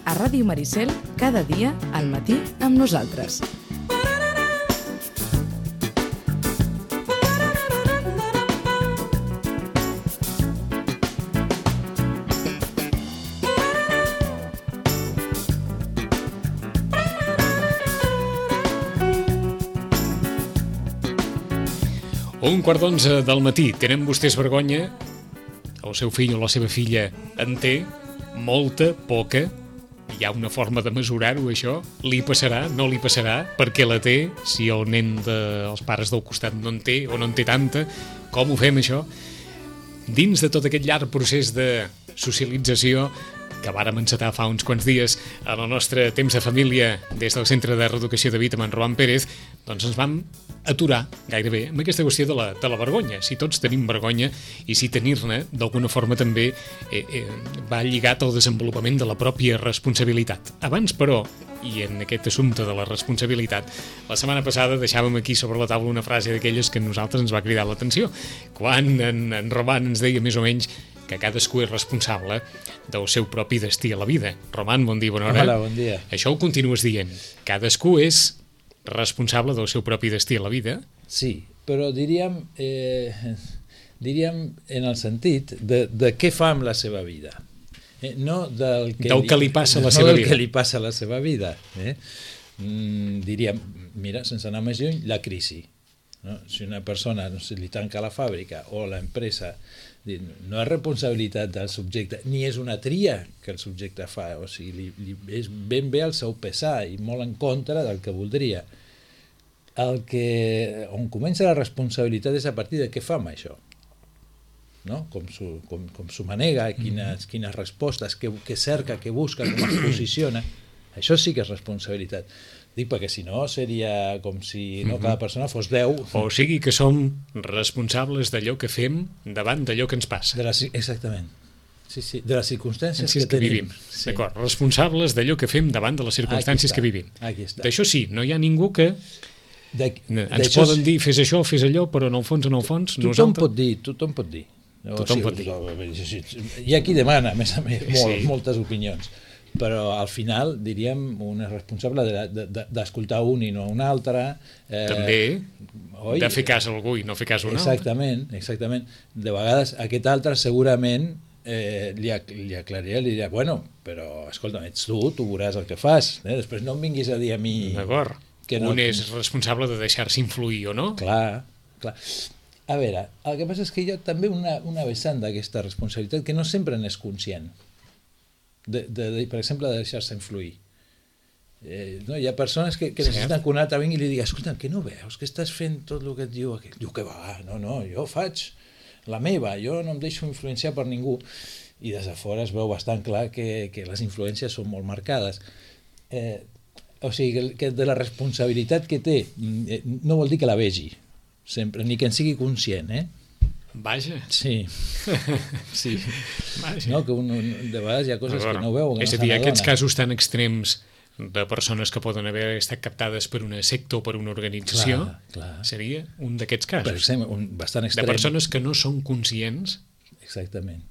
A Ràdio Maricel, cada dia, al matí, amb nosaltres. Un quart d'11 del matí. Tenen vostès vergonya? El seu fill o la seva filla en té? Molta? Poca? Hi ha una forma de mesurar-ho, això? Li passarà? No li passarà? Per què la té? Si el nen dels pares del costat no en té o no en té tanta? Com ho fem, això? Dins de tot aquest llarg procés de socialització que vàrem encetar fa uns quants dies en el nostre temps de família des del Centre de Reeducació de Vita amb en Roman Pérez, doncs ens vam aturar gairebé amb aquesta qüestió de la vergonya. Si tots tenim vergonya i si tenir-ne d'alguna forma també va lligat al desenvolupament de la pròpia responsabilitat. Abans, però, i en aquest assumpte de la responsabilitat, la setmana passada deixàvem aquí sobre la taula una frase d'aquelles que a nosaltres ens va cridar l'atenció, quan en Roman ens deia més o menys que cadascú és responsable del seu propi destí a la vida. Roman, bon dia, bona hora. Hola, bon dia. Això ho continues dient. Cadascú és responsable del seu propi destí a la vida? Sí, però diríem en el sentit de què fa amb la seva vida. No del que li passa a la seva vida. No del que li passa a la seva vida. Diríem, mira, sense anar més lluny, la crisi. No? Si una persona li tanca la fàbrica o l'empresa, no és responsabilitat del subjecte, ni és una tria que el subjecte fa, o sigui, és ben bé el seu pesar i molt en contra del que voldria. On comença la responsabilitat és a partir de què fa amb això, no? Com s'ho manega, quines respostes, què cerca, què busca, com es posiciona. Això sí que és responsabilitat. Dic perquè si no seria com si cada persona fos 10. O sigui que som responsables d'allò que fem davant d'allò que ens passa. Exactament. Sí, de les circumstàncies que vivim. Sí. D'acord, responsables d'allò que fem davant de les circumstàncies que vivim. D'això sí, no hi ha ningú que ens poden dir fes això, fes allò, però en el fons tothom pot dir. Tothom pot dir. Hi ha qui demana, a més, moltes opinions. Però al final, diríem, un és responsable d'escoltar un i no un altre. També de fer cas a algú i no fer cas a un altre. Exactament. De vegades aquest altre segurament li aclarirà, li dirà, bueno, però escolta'm, ets tu veuràs el que fas. Després no em vinguis a dir a mi... D'acord. Un és responsable de deixar-se influir o no? Clar. A veure, el que passa és que hi ha també una vessant d'aquesta responsabilitat que no sempre n'és conscient. Per exemple, de deixar-se influir. Hi ha persones que necessiten que un altre vingui i li digui, escolta, que no veus, que estàs fent tot el que et diu aquell? Diu que va, no, jo faig la meva, jo no em deixo influenciar per ningú. I des de fora es veu bastant clar que les influències són molt marcades. O sigui, que de la responsabilitat que té no vol dir que la vegi sempre, ni que en sigui conscient, Vaja. Sí. Vaja. No, que de vegades hi ha coses que no veu. És a dir, aquests casos tan extrems de persones que poden haver estat captades per una secta o per una organització, seria un d'aquests casos. Per exemple, bastant extrem. De persones que no són conscients. Exactament.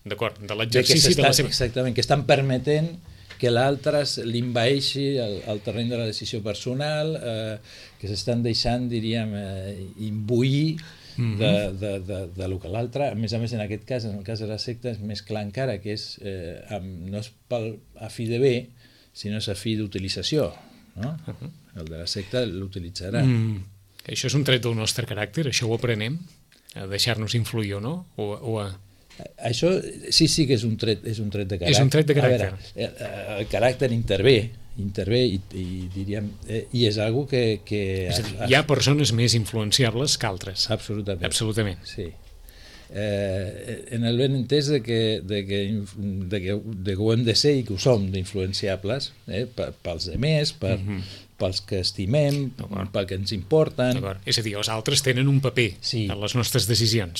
D'acord, de l'exercici de la seva... Exactament, que estan permetent que l'altre l'invaeixi el terreny de la decisió personal, que s'estan deixant, diríem, imbuir de lo que l'altre, a més, en aquest cas, en el cas de la secta, és més clar encara, que és no és a fi de bé, sinó és a fi d'utilització, no? El de la secta l'utilitzarà. Això és un tret del nostre caràcter, això ho aprenem, a deixar-nos influir o no? Això sí que és un tret de caràcter. És un tret de caràcter. El caràcter intervé i diríem, i és algo que hi ha persones més influenciables que altres. Absolutament. Absolutament. Sí. en el ben entès de que ho hem de ser i que ho som d'influenciables, pels demés, pels que estimem, pel que ens importen. És a dir, els altres tenen un paper en les nostres decisions.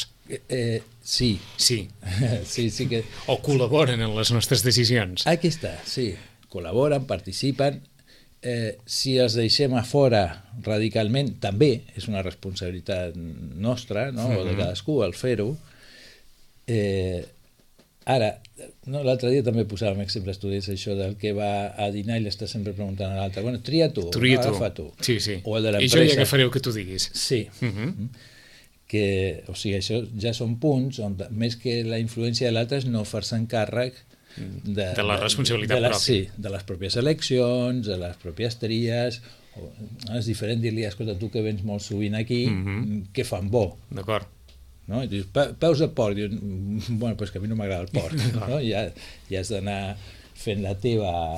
Sí. Sí que... O col·laboren en les nostres decisions. Aquí està, sí. Col·laboren, participen. Si els deixem a fora radicalment, també és una responsabilitat nostra, no? O de cadascú el fer-ho. Ara, l'altre dia també posàvem exemples, tu deies això del que va a dinar i l'està sempre preguntant a l'altre, bueno, tria tu, agafa tu. Sí. O el de l'empresa. I jo ja agafaré el que tu diguis. Sí. O sigui, això ja són punts on més que la influència de l'altre és no fer-se'n càrrec de la responsabilitat pròpia. Sí, de les pròpies eleccions, de les pròpies tries. És diferent dir-li, escolta, tu que vens molt sovint aquí, què fan bo? D'acord. No? I dius, peus de porc. Dius, bueno, doncs que a mi no m'agrada el porc. No? Ja has d'anar fent la teva,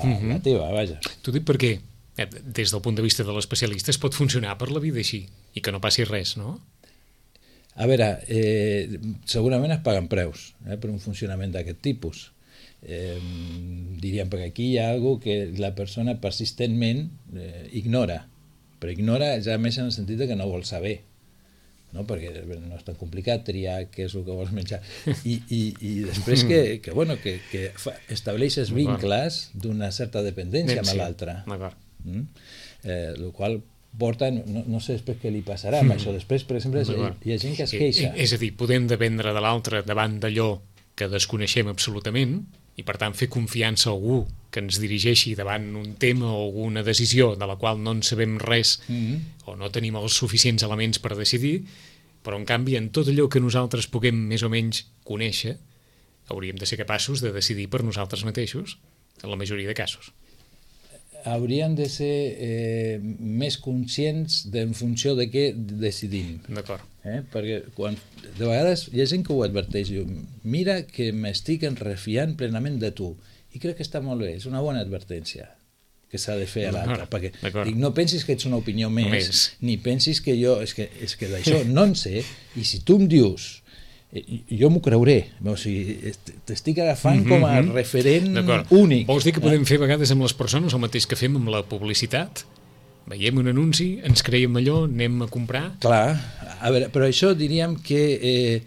vaja. T'ho dic perquè, des del punt de vista de l'especialista, es pot funcionar per la vida així, i que no passi res, no? A veure, segurament es paguen preus per un funcionament d'aquest tipus. Diríem, perquè aquí hi ha alguna cosa que la persona persistentment ignora, però ignora ja més en el sentit que no vol saber, no? Perquè no és tan complicat triar què és el que vols menjar i després que estableixes vincles d'una certa dependència amb l'altre, el qual porta, no sé després què li passarà amb això. Després, per exemple, hi ha gent que es queixa. És a dir, podem dependre de l'altre davant d'allò que desconeixem absolutament i per tant fer confiança a algú que ens dirigeixi davant un tema o alguna decisió de la qual no en sabem res o no tenim els suficients elements per decidir, però en canvi en tot allò que nosaltres puguem més o menys conèixer hauríem de ser capaços de decidir per nosaltres mateixos en la majoria de casos. Hauríem de ser més conscients en funció de què decidim. D'acord. Perquè de vegades hi ha gent que ho adverteix, diu, mira que m'estic refiant plenament de tu, i crec que està molt bé, és una bona advertència que s'ha de fer a l'altre, perquè dic, no pensis que ets una opinió més, ni pensis que jo, és que d'això no en sé, i si tu em dius, jo m'ho creuré, o sigui, t'estic agafant com a referent únic. Vols dir que podem fer a vegades amb les persones el mateix que fem amb la publicitat? Veiem un anunci, ens creiem allò, anem a comprar... Clar, a veure, però això diríem que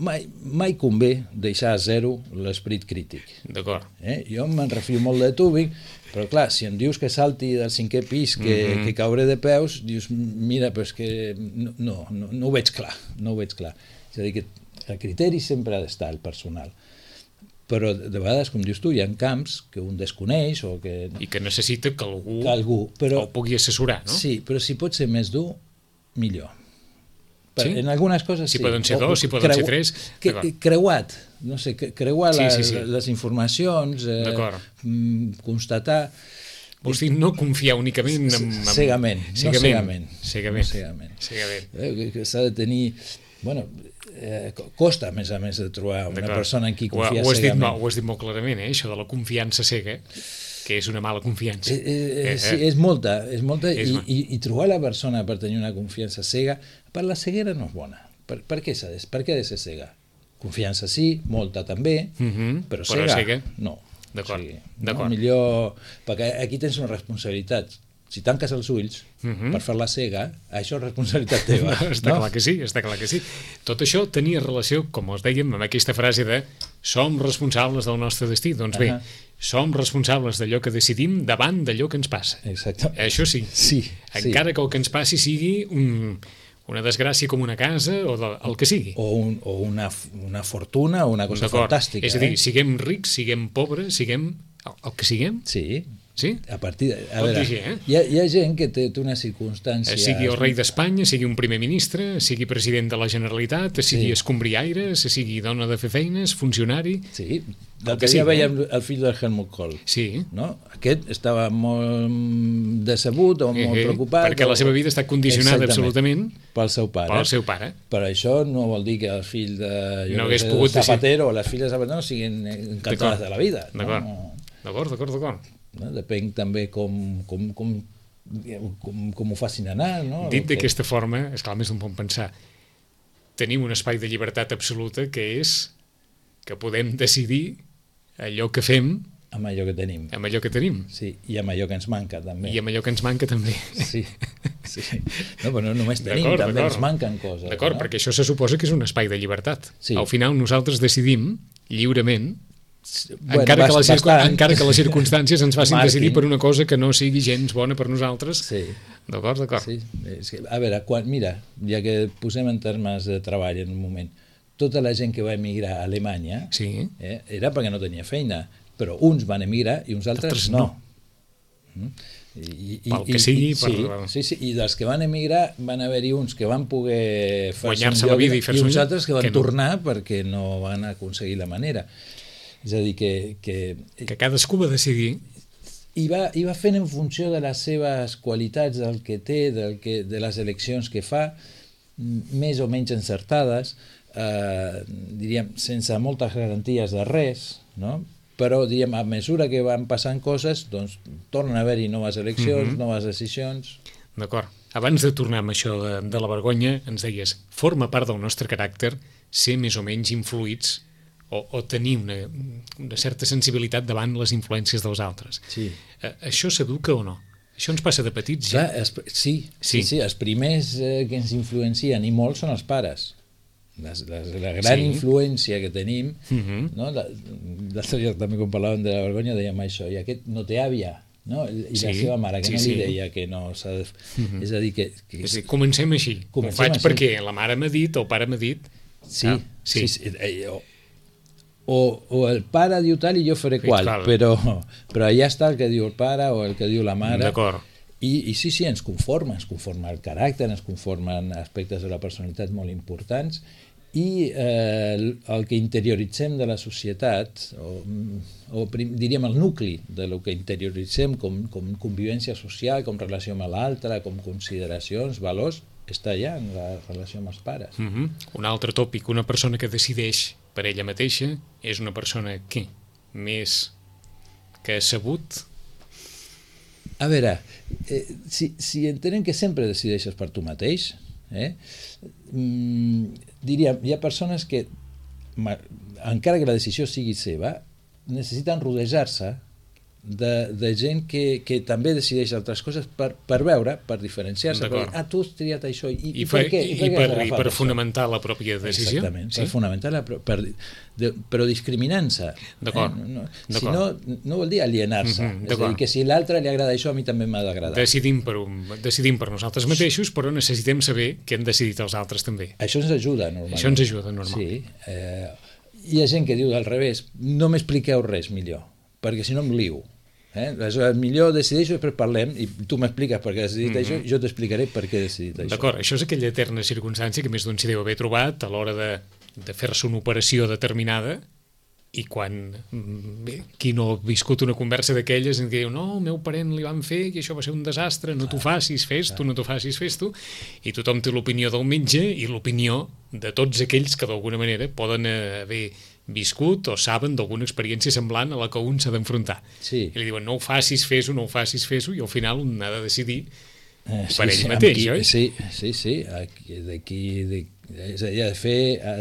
mai convé deixar a zero l'esperit crític. D'acord. Jo me'n refio molt de tu, Vic, però clar, si em dius que salti del 5è pis, que cauré de peus, dius, mira, però és que no ho veig clar, És a dir, que el criteri sempre ha d'estar, el personal. Però de vegades, com dius tu, hi ha camps que un desconeix o que... I que necessita que algú el pugui assessorar, no? Sí, però si pot ser més dur, millor. Sí? En algunes coses sí. Si poden ser dos, si poden ser tres... Creuat, no sé, creuar les informacions, constatar... Vols dir no confiar únicament en... Cegament. Cegament. S'ha de tenir... Bueno, costa, a més de trobar una persona en qui confiar cegament. Ho has dit molt clarament, això de la confiança cega, que és una mala confiança. Sí, és molta, i trobar la persona per tenir una confiança cega, per la ceguera no és bona. Per què ha de ser cega? Confiança sí, molta també, però cega no. D'acord. Millor, perquè aquí tens una responsabilitat. Si tanques els ulls per fer la cega, això és responsabilitat teva. Està clar que sí. Tot això tenia relació, com us dèiem, amb aquesta frase de som responsables del nostre destí. Doncs bé, som responsables d'allò que decidim davant d'allò que ens passa. Exactament. Això sí. Encara que el que ens passi sigui una desgràcia com una casa o el que sigui. O una fortuna o una cosa fantàstica. És a dir, siguem rics, siguem pobres, siguem el que siguem. Sí? A veure, hi ha gent que té una circumstància... Sigui el rei d'Espanya, sigui un primer ministre, sigui president de la Generalitat, sigui escombriaire, sigui dona de fer feines, funcionari... Sí, l'altre dia veiem el fill del Helmut Kohl. Sí. No? Aquest estava molt decebut o molt preocupat... Perquè la seva vida està condicionada absolutament pel seu pare. Per això no vol dir que el fill de Zapatero o les filles de Zapatero siguin encantades de la vida. D'acord. Depèn també com ho facin anar, no? Dit d'aquesta forma, és clar, més d'un pot pensar, tenim un espai de llibertat absoluta que és que podem decidir allò que fem amb allò que tenim. amb allò que tenim. Sí, i amb allò que ens manca, també. I amb allò que ens manca, també. Sí. No, però no només tenim, també ens manquen coses. D'acord, no? perquè això se suposa que és un espai de llibertat. Sí. Al final nosaltres decidim lliurement, Bueno, encara que les sí. circumstàncies ens facin Marquin. decidir per una cosa que no sigui gens bona per nosaltres. Sí. D'acord. Sí. És que, a veure, mira, ja que posem en termes de treball en un moment, tota la gent que va emigrar a Alemanya Sí. Era perquè no tenia feina, però uns van emigrar i uns altres no. Pel que sigui. Sí, i dels que van emigrar van haver-hi uns que van poder guanyar-se la vida i fer-se uns altres que van tornar perquè no van aconseguir la manera. És a dir, que cadascú va decidir i va fent en funció de les seves qualitats, del que té, de les eleccions que fa, més o menys encertades, diríem, sense moltes garanties de res, no? Però diríem, a mesura que van passant coses, doncs tornen a haver-hi noves eleccions, noves decisions. D'acord. Abans de tornar amb això de la vergonya, ens deies, forma part del nostre caràcter ser més o menys influïts o tenir una certa sensibilitat davant les influències dels altres. Sí. Això s'educa o no? Això ens passa de petits, ja? Clar, sí. Els primers que ens influencien, i molts, són els pares. La gran influència que tenim, no? L'altre dia també quan parlàvem de la vergonya dèiem això, i aquest no té àvia, no? I la seva mare, que no li deia que no s'ha de... És a dir, que... Comencem així. Ho faig perquè la mare m'ha dit, el pare m'ha dit... Sí. O el pare diu tal i jo faré qual, però allà està el que diu el pare o el que diu la mare. D'acord. I sí, ens conforma el caràcter, ens conformen aspectes de la personalitat molt importants, i el que interioritzem de la societat, o diríem el nucli del que interioritzem com convivència social, com relació amb l'altre, com consideracions, valors, està allà en la relació amb els pares. Un altre tòpic, una persona que decideix per ella mateixa és una persona què? Més que sabut? A veure, si entenem que sempre decideixes per tu mateix, diríem, hi ha persones que, encara que la decisió sigui seva, necessiten rodejar-se de gent que també decideix altres coses per veure, per diferenciar-se, per dir, tu has triat això, i per què? I per fonamentar la pròpia decisió? Exactament, per fonamentar-la, però discriminant-se. D'acord. Si no vol dir alienar-se, és a dir, que si l'altre li agrada això, a mi també m'ha d'agradar. Decidim per nosaltres mateixos, però necessitem saber què han decidit els altres també. Això ens ajuda, normalment. Sí. Hi ha gent que diu al revés, no m'expliqueu res millor, perquè si no em lio. Aleshores, millor decideixo i després parlem i tu m'expliques per què has decidit això i jo t'explicaré per què he decidit això. D'acord, això és aquella eterna circumstància que més d'un s'hi deu haver trobat a l'hora de fer-se una operació determinada i quan qui no ha viscut una conversa d'aquelles en què diu, no, el meu parent li van fer i això va ser un desastre, no t'ho facis, fes-t'ho, no t'ho facis, fes-t'ho, i tothom té l'opinió del metge i l'opinió de tots aquells que d'alguna manera poden haver viscut o saben d'alguna experiència semblant a la que un s'ha d'enfrontar. Sí. I li diuen, no ho facis, fes-ho, no ho facis, fes-ho, i al final un ha de decidir per ell mateix, oi? Sí. D'aquí és a dir, ha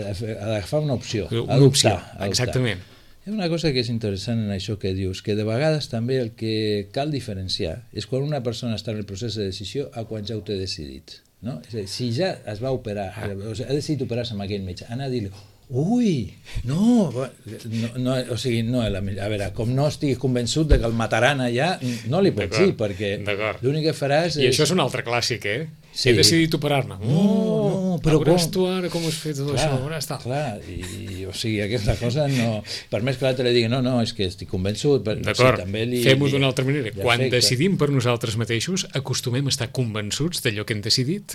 d'agafar una opció, una opció, exactament. Hi ha una cosa que és interessant en això que dius, que de vegades també el que cal diferenciar és quan una persona està en el procés de decisió a quan ja ho té decidit, no? És a dir, si ja es va operar, o sigui, ha decidit operar-se amb aquell metge, anar a dir-li, ui, no, o sigui, no, a veure, com no estiguis convençut de que el mataran allà, no li pots dir, perquè l'únic que faràs és... I això és un altre clàssic, Sí. He decidit operar-ne. No, però veuràs tu ara com has fet tot això, veuràs tal. Clar, i o sigui, aquesta cosa no... Per més que l'altre li digui, no, és que estic convençut... D'acord, fem-ho d'una altra manera. Quan decidim per nosaltres mateixos, acostumem a estar convençuts d'allò que hem decidit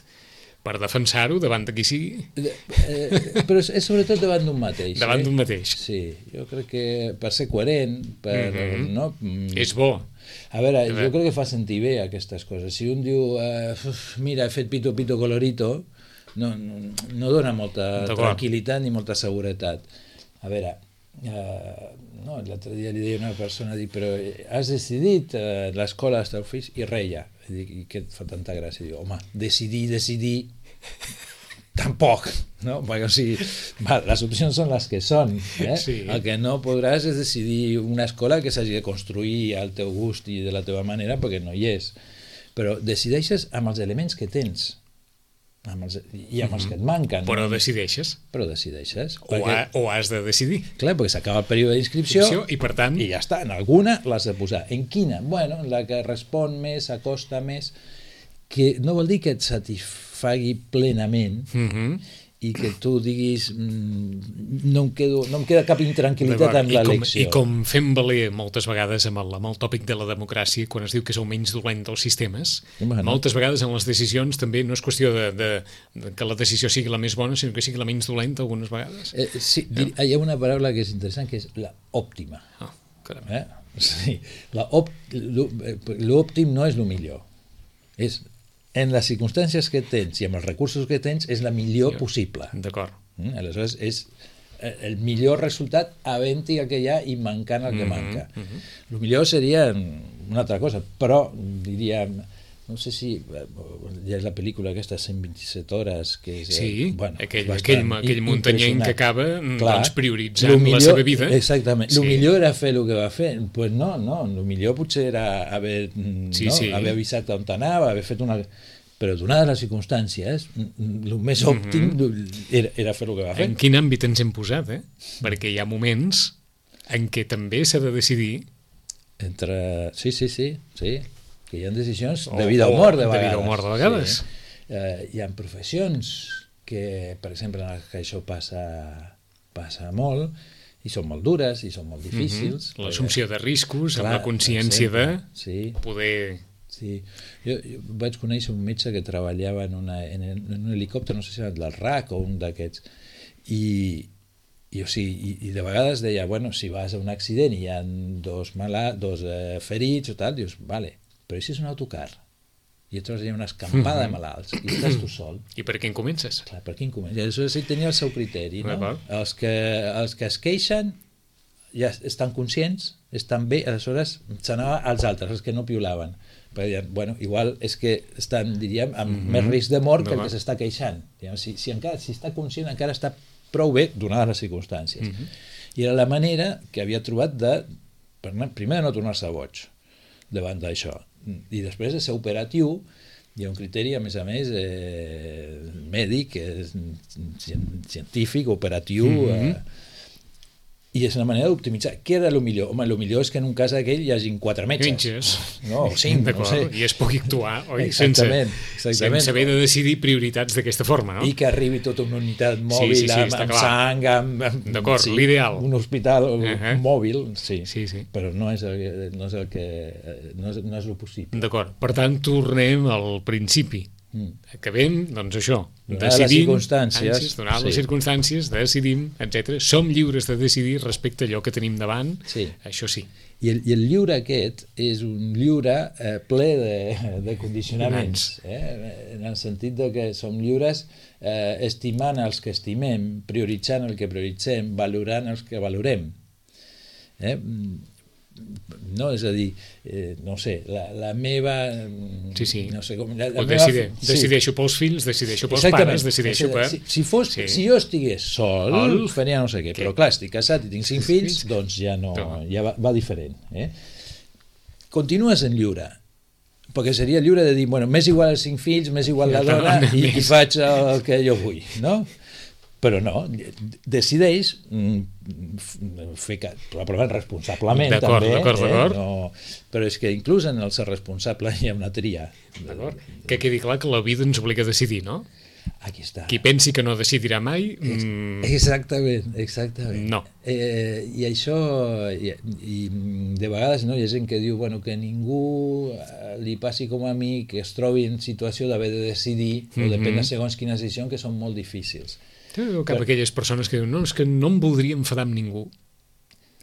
per defensar-ho davant de qui sigui. Però és sobretot davant d'un mateix. Davant d'un mateix. Sí, jo crec que per ser coherent, no? És bo. A veure, jo crec que fa sentir bé aquestes coses. Si un diu, mira, he fet pito, pito, colorito, no dona molta tranquil·litat ni molta seguretat. A veure, l'altre dia li deia una persona, però has decidit l'escola dels teus fills? I reia. I què et fa tanta gràcia? Diu, home, decidir, tampoc, no? Perquè, o sigui, les opcions són les que són. Sí. El que no podràs és decidir una escola que s'hagi de construir al teu gust i de la teva manera, perquè no hi és. Però decideixes amb els elements que tens i amb els que et manquen. Però decideixes. Però decideixes. O has de decidir. Clar, perquè s'acaba el període d'inscripció I per tant... i ja està, en alguna l'has de posar. En quina? Bueno, en la que respon més, s'acosta més, que no vol dir que et satisfagui plenament i que tu diguis no em queda cap intranquil·litat amb l'elecció. I com fem valer moltes vegades amb el tòpic de la democràcia, quan es diu que és el menys dolent dels sistemes, moltes vegades en les decisions també no és qüestió de que la decisió sigui la més bona, sinó que sigui la menys dolenta algunes vegades. Sí, hi ha una paraula que és interessant, que és la òptima. Sí, l'òptim no és el millor. És en les circumstàncies que tens i amb els recursos que tens és la millor possible. D'acord. Aleshores és el millor resultat havent-hi el que hi ha i mancant el que manca. El millor seria una altra cosa, però diríem, no sé si ja és la pel·lícula aquesta 127 hores que és, aquell muntanyenc que acaba prioritzant la seva vida. Exactament. El millor era fer el que va fer. Pues no, el millor potser era haver avisat on anava, haver fet una... Però donades les circumstàncies, el més òptim era fer el que va fer. En quin àmbit ens hem posat, Perquè hi ha moments en què també s'ha de decidir... Sí, que hi ha decisions de vida o mort de vegades. Hi ha professions que, per exemple, en què això passa molt i són molt dures i són molt difícils. L'assumpció de riscos, amb la consciència de poder... Sí, jo vaig conèixer un metge que treballava en un helicòpter, no sé si era del RAC o un d'aquests, i de vegades deia, bueno, si vas a un accident i hi ha dos ferits o tal, dius, vale, però si és un autocar i et trobes allà una escampada de malalts i estàs tu sol. I per quin comences? Clar, per quin comences? I aleshores ell tenia el seu criteri, no? Els que es queixen ja estan conscients, estan bé, aleshores s'anava als altres, els que no piulaven. Perquè deien, bueno, igual és que estan, diríem, amb més risc de mort que el que s'està queixant. Si està conscient encara està prou bé, donades les circumstàncies. I era la manera que havia trobat primer de no tornar-se boig davant d'això. I després de ser operatiu, hi ha un criteri, a més, mèdic, científic, operatiu... I és una manera d'optimitzar. Què era el millor? Home, el millor és que en un cas d'aquell hi hagin 4 metges. No, o 5, no sé. I es pugui actuar, oi? Sense haver de decidir prioritats d'aquesta forma, no? I que arribi tota una unitat mòbil amb sang, d'acord, l'ideal. Un hospital mòbil, sí. Però no és el possible. D'acord. Per tant, tornem al principi. Acabem, doncs això, decidim, donar les circumstàncies, decidim, etc. Som lliures de decidir respecte a allò que tenim davant, això sí. I el lliure aquest és un lliure ple de condicionaments, en el sentit que som lliures estimant els que estimem, prioritzant el que prioritzem, valorant els que valorem. No, és a dir, no sé, la meva... no sé com... Decideixo pels fills, decideixo pels pares, decideixo per... Si jo estigués sol, faria no sé què, però clar, estic casat i tinc 5 fills, doncs ja va diferent. Continues en lliure, perquè seria lliure de dir, bueno, m'és igual els 5 fills, m'és igual la dona i faig el que jo vull, no? Però no, decideix fer probablement responsablement també. D'acord. Però és que inclús en el ser responsable hi ha una tria. D'acord. Que quedi clar que la vida ens obliga a decidir, no? Aquí està. Qui pensi que no decidirà mai... Exactament. No. I això, i de vegades hi ha gent que diu que ningú li passi com a mi, que es trobi en situació d'haver de decidir o de prendre segons quines decisions que són molt difícils. Cap a aquelles persones que diuen, no, és que no em voldria enfadar amb ningú.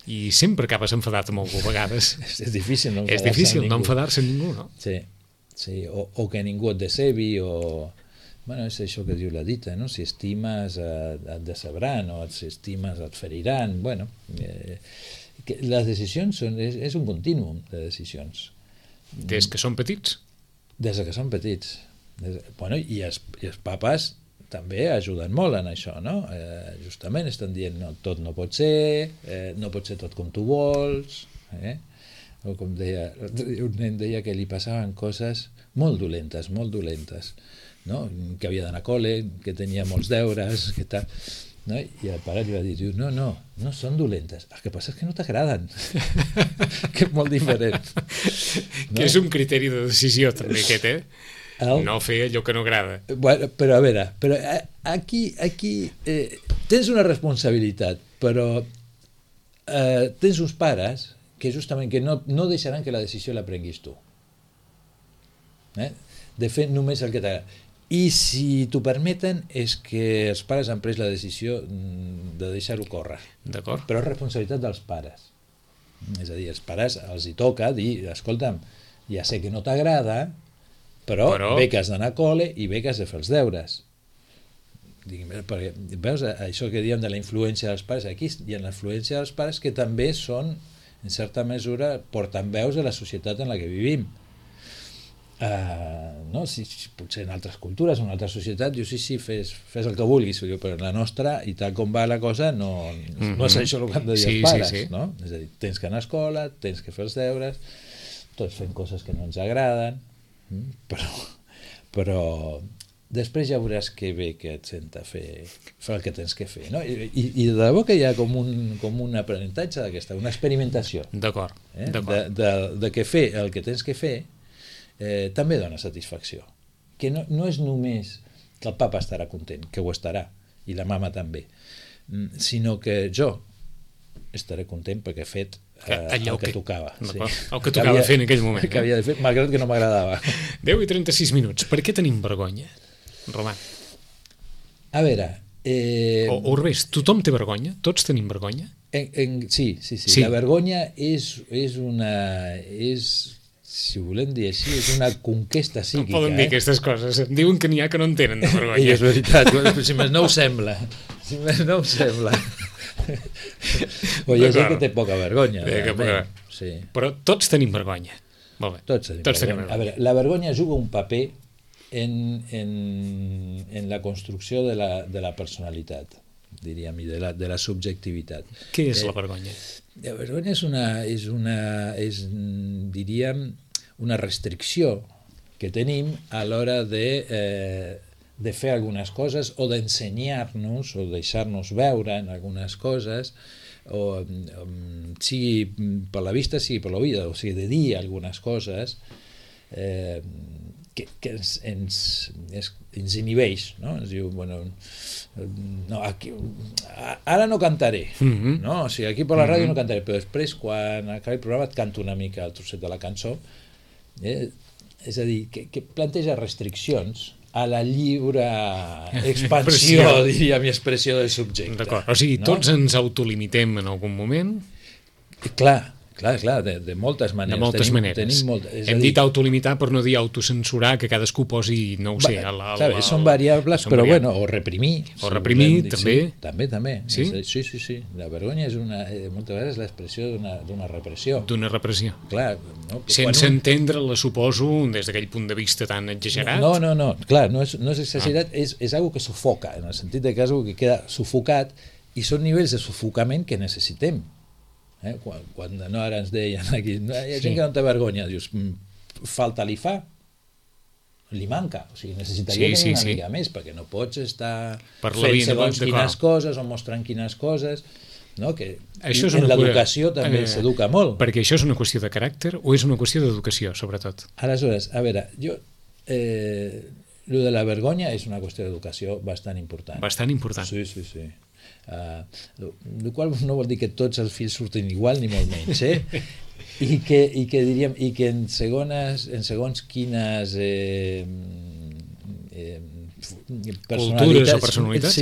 I sempre acabes enfadat amb algú a vegades. És difícil no enfadar-se amb ningú, no? Sí, o que ningú et decebi, o... Bueno, és això que diu la dita, no? Si estimes et decebran, o si estimes et feriran. Bueno, les decisions és un contínuum de decisions. Des que són petits? Des que són petits. I els papes també ajuden molt en això, no? Justament estan dient no, tot no pot ser tot com tu vols, o com deia, un nen deia que li passaven coses molt dolentes, no? Que havia d'anar a col·le, que tenia molts deures, que tal, no? I el pare li va dir, no són dolentes, el que passa és que no t'agraden, que és molt diferent, no? Que és un criteri de decisió també aquest, no fer allò que no agrada. Bueno, però a veure, aquí tens una responsabilitat, però tens uns pares que justament que no deixaran que la decisió la prenguis tu. De fer només el que t'agrada. I si t'ho permeten és que els pares han pres la decisió de deixar-ho córrer. D'acord. Però és responsabilitat dels pares. És a dir, els pares els hi toca dir, escolta'm, ja sé que no t'agrada, però bé que has d'anar a col·le i bé que has de fer els deures. Perquè, veus, això que diem de la influència dels pares, aquí hi ha la influència dels pares que també són, en certa mesura, portaveus de la societat en la que vivim. No? Si potser en altres cultures, en una altra societat, dius sí, fes el que vulguis, però en la nostra, i tal com va la cosa, no és això el que han de dir els pares. Sí. No? És a dir, tens que anar a escola, tens que fer els deures, tots fem coses que no ens agraden, però després ja veuràs que bé que et senta fer el que tens que fer, no? I de debò que hi ha com un aprenentatge d'aquesta, una experimentació. D'acord. De que fer el que tens que fer també dona satisfacció. Que no és només que el papa estarà content, que ho estarà, i la mama també, sinó que jo estaré content perquè he fet el que tocava. Sí. El que tocava fer en aquell moment. Que havia de fer, malgrat que no m'agradava. 10:36. Per què tenim vergonya, Roman? A veure... O al revés, tothom té vergonya? Tots tenim vergonya? Sí. La vergonya és una... si ho volem dir així, és una conquesta psíquica. No poden dir aquestes coses. Em diuen que n'hi ha que no en tenen de vergonya. I és veritat, si més no ho sembla. O hi ha gent que té poca vergonya. Sí. Però tots tenim vergonya. Molt bé. Tots tenim vergonya. A veure, la vergonya juga un paper en la construcció de la personalitat, diríem, i de la subjectivitat. Què és la vergonya? La vergonya és diríem, una restricció que tenim a l'hora de fer algunes coses o d'ensenyar-nos o deixar-nos veure en algunes coses, o sigui per la vista, sigui per l'oïda, o sigui de dir algunes coses que ens inhibeix, no? Ens diu, bueno, no, aquí, ara no cantaré, no? O sigui, aquí per la ràdio no cantaré, però després quan acabi el programa et canto una mica el trosset de la cançó. És a dir, que planteja restriccions a la lliure expansió, diríem, i expressió del subjecte. D'acord, o sigui, tots ens autolimitem en algun moment? Clar, de moltes maneres. De moltes maneres. Hem dit autolimitar per no dir autocensurar, que cadascú posi, no ho sé... Són variables, però bueno, o reprimir. O reprimir, també. També. Sí? Sí. La vergonya és moltes vegades l'expressió d'una repressió. D'una repressió. Clar. Sense entendre-la, suposo, des d'aquell punt de vista tan exagerat. No. Clar, no és exagerat, és algo que sufoca, en el sentit que és algo que queda sufocat, i són nivells de sufocament que necessitem. Quan no ara ens deien aquí, hi ha gent que no té vergonya, dius, falta li fa, li manca, o sigui, necessitaria tenir una mica més, perquè no pots estar fent segons quines coses o mostrant quines coses, no? Que en l'educació també s'educa molt. Perquè això és una qüestió de caràcter o és una qüestió d'educació, sobretot? Aleshores, a veure, lo de la vergonya és una qüestió d'educació bastant important. Bastant important. Sí. El qual no vol dir que tots els fills surtin igual ni molt menys, i que diríem en segons quines cultures o personalitats,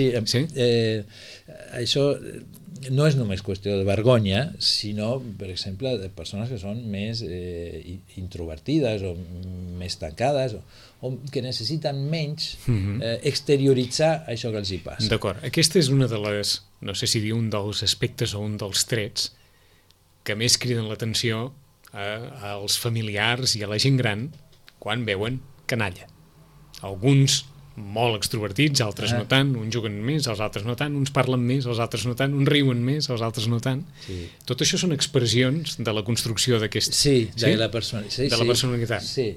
això no és només qüestió de vergonya, sinó, per exemple, de persones que són més introvertides o més tancades o que necessiten menys exterioritzar això que els hi passa. D'acord. Aquesta és una de les, no sé si dir un dels aspectes o un dels trets que més criden l'atenció als familiars i a la gent gran quan veuen canalla. Alguns molt extrovertits, altres no tant, uns juguen més, els altres no tant, uns parlen més, els altres no tant, uns riuen més, els altres no tant. Sí. Tot això són expressions de la construcció d'aquest... de la personalitat. Sí.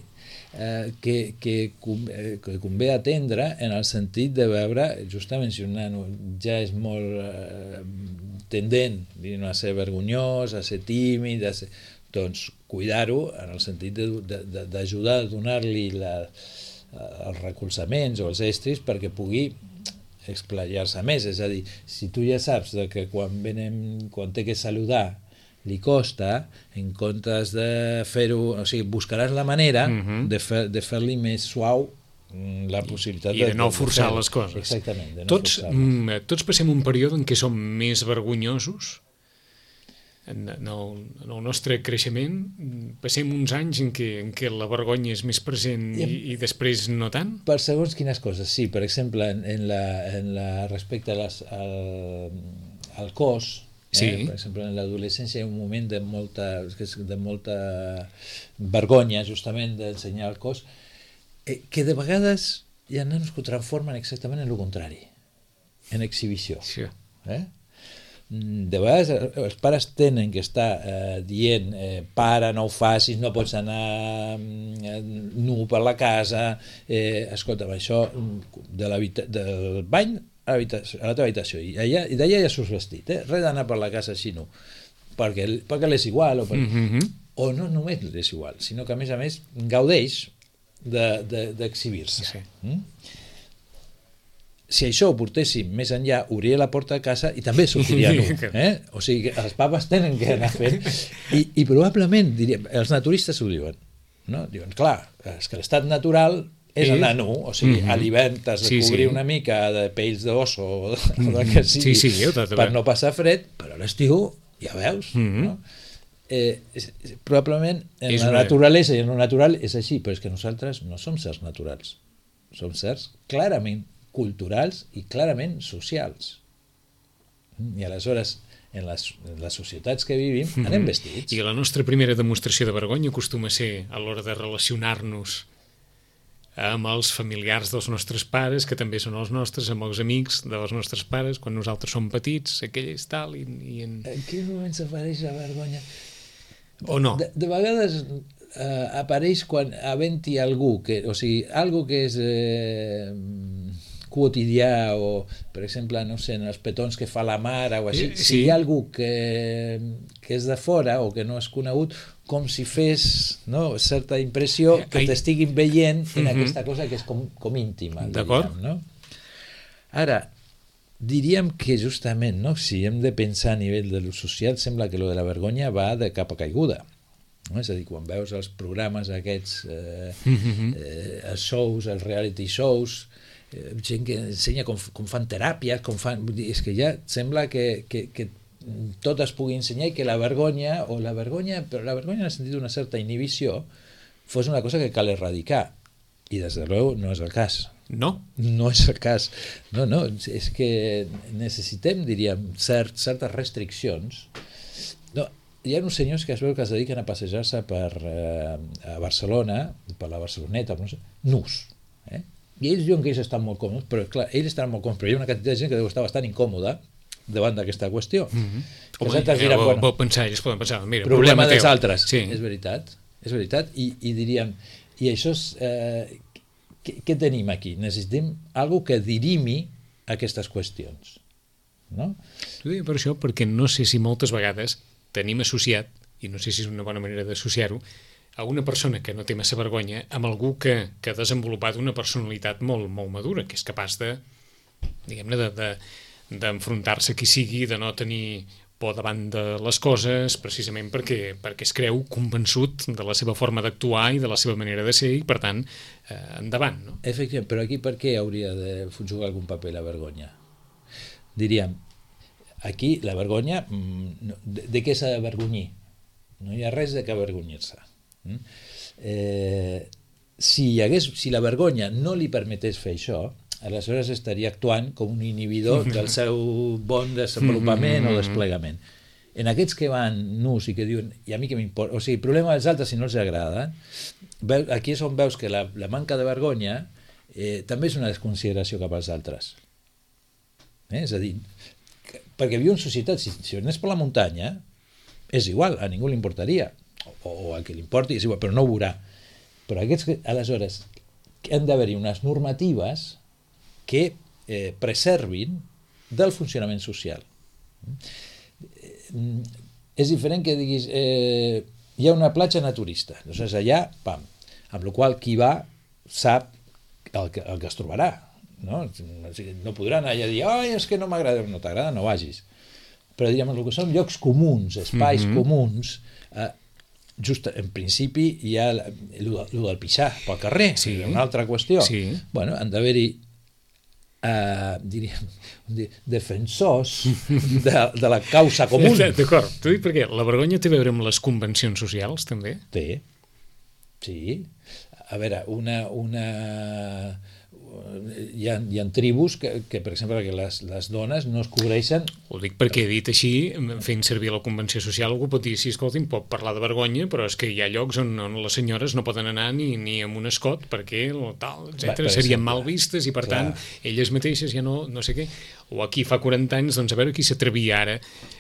Que convé atendre en el sentit de veure, justament, si un nano ja és molt tendent a ser vergonyós, a ser tímid, doncs cuidar-ho en el sentit d'ajudar a donar-li els recolzaments o els estris perquè pugui explayar-se més. És a dir, si tu ja saps que quan té que saludar li costa, en comptes de fer-ho, o sigui, buscaràs la manera de fer-li més suau la possibilitat i de no forçar les coses. Exactament. Tots passem un període en què som més vergonyosos. En el nostre creixement passem uns anys en què la vergonya és més present i després no tant? Per segons quines coses, sí. Per exemple, respecte al cos, sí. Per exemple, en l'adolescència hi ha un moment de molta vergonya, justament, d'ensenyar el cos, que de vegades hi ha nanos que ho transformen exactament en el contrari, en exhibició. Sí. De vegades els pares tenen que estar dient pare, no ho facis, no pots anar nu per la casa, escolta'm, això del bany a la teva habitació, i d'allà ja surts vestit, res d'anar per la casa així nu, perquè l'és igual, o no només l'és igual, sinó que a més gaudeix d'exhibir-se. Sí. Si això ho portéssim més enllà, obria la porta de casa i també sortiria nu. O sigui, que els papes tenen que anar fent, i probablement, diríem, els naturistes ho diuen, no? Diuen, clar, és que l'estat natural és anar nu, o sigui, a l'hivern t'has de cobrir una mica de pells d'osso o del que sigui per no passar fred, però a l'estiu ja veus, no? Probablement en la naturalesa i en lo natural és així, però és que nosaltres no som certs naturals, som certs clarament culturals i clarament socials. I aleshores, en les societats que vivim, anem vestits. I la nostra primera demostració de vergonya acostuma a ser a l'hora de relacionar-nos amb els familiars dels nostres pares, que també són els nostres, amb els amics dels nostres pares, quan nosaltres som petits, aquell és tal, En quin moment s'apareix la vergonya? O no? De vegades apareix quan havent-hi algú, o sigui, algú que és quotidià, o per exemple, no sé, en els petons que fa la mare o així, si hi ha algú que és de fora o que no és conegut, com si fes certa impressió que t'estiguin veient en aquesta cosa que és com íntima. D'acord. Ara, diríem que justament, si hem de pensar a nivell de lo social, sembla que lo de la vergonya va de capa caiguda. És a dir, quan veus els programes aquests, els shows, els reality shows, gent que ensenya com fan teràpies, és que ja sembla que tot es pugui ensenyar i que la vergonya, però la vergonya en el sentit d'una certa inhibició, fos una cosa que cal erradicar. I des de luego no és el cas. No? No és el cas. No, és que necessitem, diríem, certes restriccions. No, hi ha uns senyors que es veu que es dediquen a passejar-se a Barcelona, per la Barceloneta, nus. I ells diuen que ells estan molt còmodes, però clar, ells estan molt còmodes, però hi ha una quantitat de gent que deu estar bastant incòmoda davant d'aquesta qüestió. Ells poden pensar, mira, problema dels altres. Sí. És veritat, i diríem, i això és, què tenim aquí? Necessitem algú que dirimi aquestes qüestions, no? T'ho deia per això, perquè no sé si moltes vegades tenim associat, i no sé si és una bona manera d'associar-ho, a una persona que no té massa vergonya amb algú que ha desenvolupat una personalitat molt, molt madura, que és capaç de, diguem-ne, d'enfrontar-se a qui sigui, de no tenir por davant de les coses, precisament perquè es creu convençut de la seva forma d'actuar i de la seva manera de ser, i per tant, endavant, no? Efectivament, però aquí per què hauria de jugar algun paper la vergonya? Diríem, aquí la vergonya, de què s'ha d'avergonyir? No hi ha res de què avergonyir-se. Si la vergonya no li permetés fer això, aleshores estaria actuant com un inhibidor del seu bon desenvolupament o desplegament. En aquests que van nus i que diuen, i a mi què m'importa, o sigui, problema dels altres si no els agrada, aquí és on veus que la manca de vergonya també és una desconsideració cap als altres. És a dir, perquè viu en societat, si anés per la muntanya, és igual, a ningú li importaria, o al que li importi és igual, però no ho veurà. Però aquests, aleshores, han d'haver-hi unes normatives que preservin del funcionament social. És diferent que diguis hi ha una platja naturista, doncs allà, pam, amb la qual qui va sap el que es trobarà, no? No podrà anar allà a dir és que no m'agrada, no t'agrada, no vagis, però diríem, el que són llocs comuns, espais comuns, just en principi hi ha el del pixar pel carrer, una altra qüestió. Bueno, han d'haver-hi diríem, defensors de la causa comú. D'acord, t'ho dic perquè la vergonya té a veure amb les convencions socials, també? Té, sí. A veure, hi ha tribus que, per exemple, que les dones no es cobreixen. Ho dic perquè, dit així, fent servir la convenció social, algú pot dir, sí, escolti'm, pot parlar de vergonya, però és que hi ha llocs on les senyores no poden anar ni amb un escot, perquè tal, etc. Serien mal vistes i, per tant, elles mateixes ja no sé què. O aquí fa 40 anys, doncs a veure qui s'atrevia ara,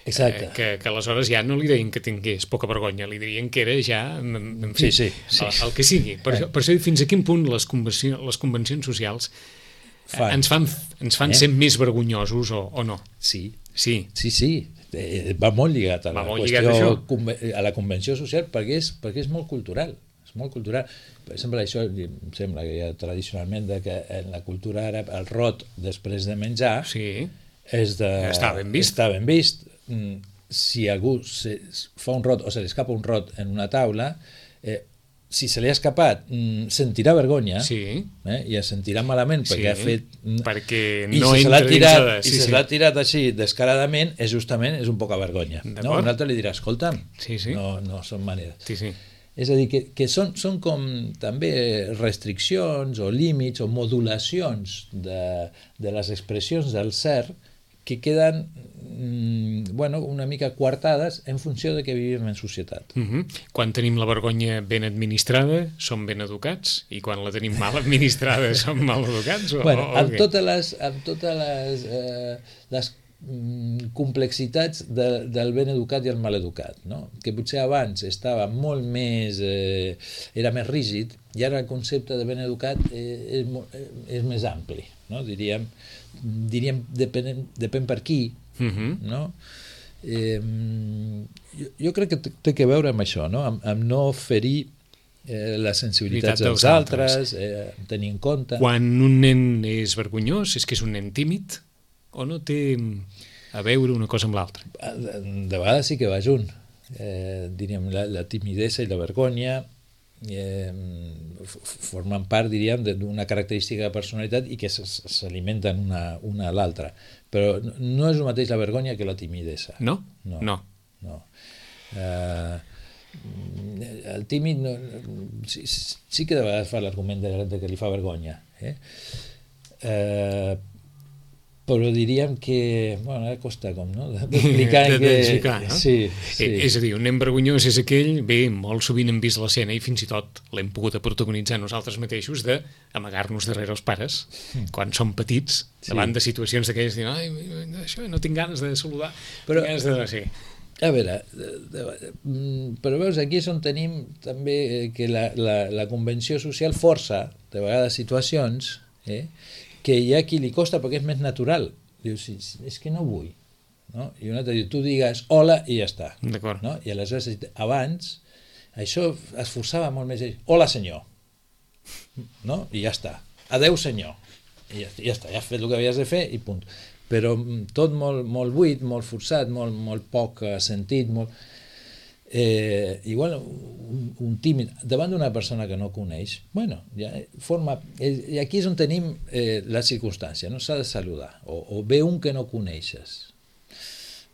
que aleshores ja no li deien que tingués poca vergonya, li dirien que era ja, en fi, el que sigui. Per això, fins a quin punt les convencions socials ens fan ser més vergonyosos o no? Sí. Va molt lligat a la qüestió, a la convenció social, perquè és molt cultural. És molt cultural. Per exemple, això em sembla que ja tradicionalment que en la cultura àrab el rot després de menjar està ben vist. Si algú fa un rot o se li escapa un rot en una taula, si se li ha escapat sentirà vergonya i es sentirà malament perquè ha fet... Perquè no entra dintre i si se l'ha tirat així descaradament, justament és un poca vergonya. Un altre li dirà, escolta'm, no són maneres. És a dir, que són com també restriccions o límits o modulacions de les expressions del ser que queden una mica coartades en funció de que vivim en societat. Quan tenim la vergonya ben administrada, som ben educats, i quan la tenim mal administrada, som mal educats? Amb totes les complexitats del ben educat i el mal educat, no? Que potser abans estava molt més era més rígid, i ara el concepte de ben educat és més ampli, no? Diríem depèn per qui, no? Jo crec que té a veure amb això, no? Amb no ferir les sensibilitats dels altres, tenir en compte. Quan un nen és vergonyós, és que és un nen tímid o no té a veure una cosa amb l'altra? De vegades sí que va junt. Diríem, la timidesa i la vergonya formen part, diríem, d'una característica de personalitat i que s'alimenten una a l'altra. Però no és el mateix la vergonya que la timidesa. No? El tímid sí que de vegades fa l'argument de que li fa vergonya. Però diríem que ara costa com, no? D'explicar no? Sí. És a dir, un nen vergonyós és aquell, molt sovint hem vist l'escena i fins i tot l'hem pogut protagonitzar nosaltres mateixos d'amagar-nos darrere els pares quan som petits, davant de situacions d'aquelles de dir, això no tinc ganes de saludar, tinc ganes de... Sí. A veure, però veus, aquí és on tenim també que la convenció social força de vegades situacions que hi ha qui li costa perquè és més natural. Dius, és que no vull. No? I un altre diu, tu digues hola i ja està. D'acord. No? I aleshores, abans, això es forçava molt més. Hola, senyor. No? I ja està. Adeu, senyor. I ja està, ja has fet el que havies de fer i punt. Però tot molt buit, molt forçat, molt poc sentit, molt... igual un tímid davant d'una persona que no coneix, ja forma, i aquí és on tenim la circumstància, no s'ha de saludar, o ve un que no coneixes,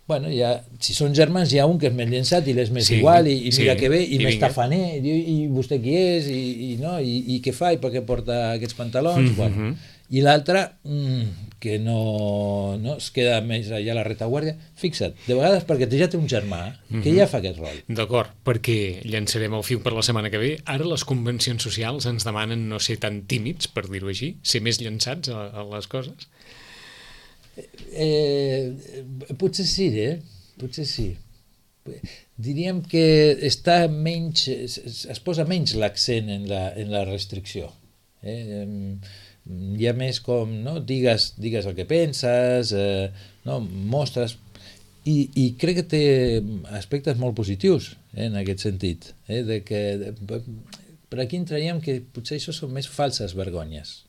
bueno, si són germans hi ha un que és més llençat i l'és més igual i mira que bé, i més tafaner, i vostè qui és, i què fa, i per què porta aquests pantalons, bueno. I l'altre que no es queda més allà a la retaguardia. Fixa't, de vegades perquè ja té un germà que ja fa aquest rol. D'acord, perquè llançarem el fil per la setmana que ve. Ara les convencions socials ens demanen no ser tan tímids, per dir-ho així, ser més llançats a les coses. Potser sí, potser sí. Diríem que es posa menys l'accent en la restricció. Hi ha més com, no? Digues el que penses, no? Mostres, i crec que té aspectes molt positius en aquest sentit, de que per aquí entraríem que potser això són més falses vergonyes.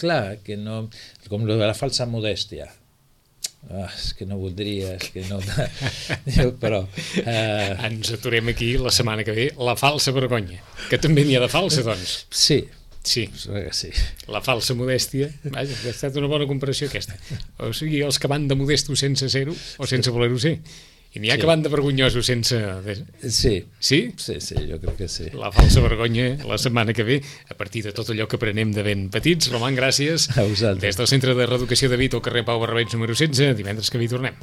Clar, que no, com lo de la falsa modèstia. És que no voldria, és que no... Però... Ens aturem aquí la setmana que ve, la falsa vergonya, que també n'hi ha de falsa, doncs. Sí. La falsa modèstia. Vaja, ha estat una bona comparació aquesta. O sigui, els que van de modestos sense ser-ho o sense voler-ho ser. I n'hi ha que van de vergonyosos sense... Sí. Sí? Sí, jo crec que sí. La falsa vergonya la setmana que ve, a partir de tot allò que aprenem de ben petits. Roman, gràcies. A vosaltres. Des del Centre de Reeducació de Vic, al carrer Pau Barrabets número 16, divendres que vi tornem.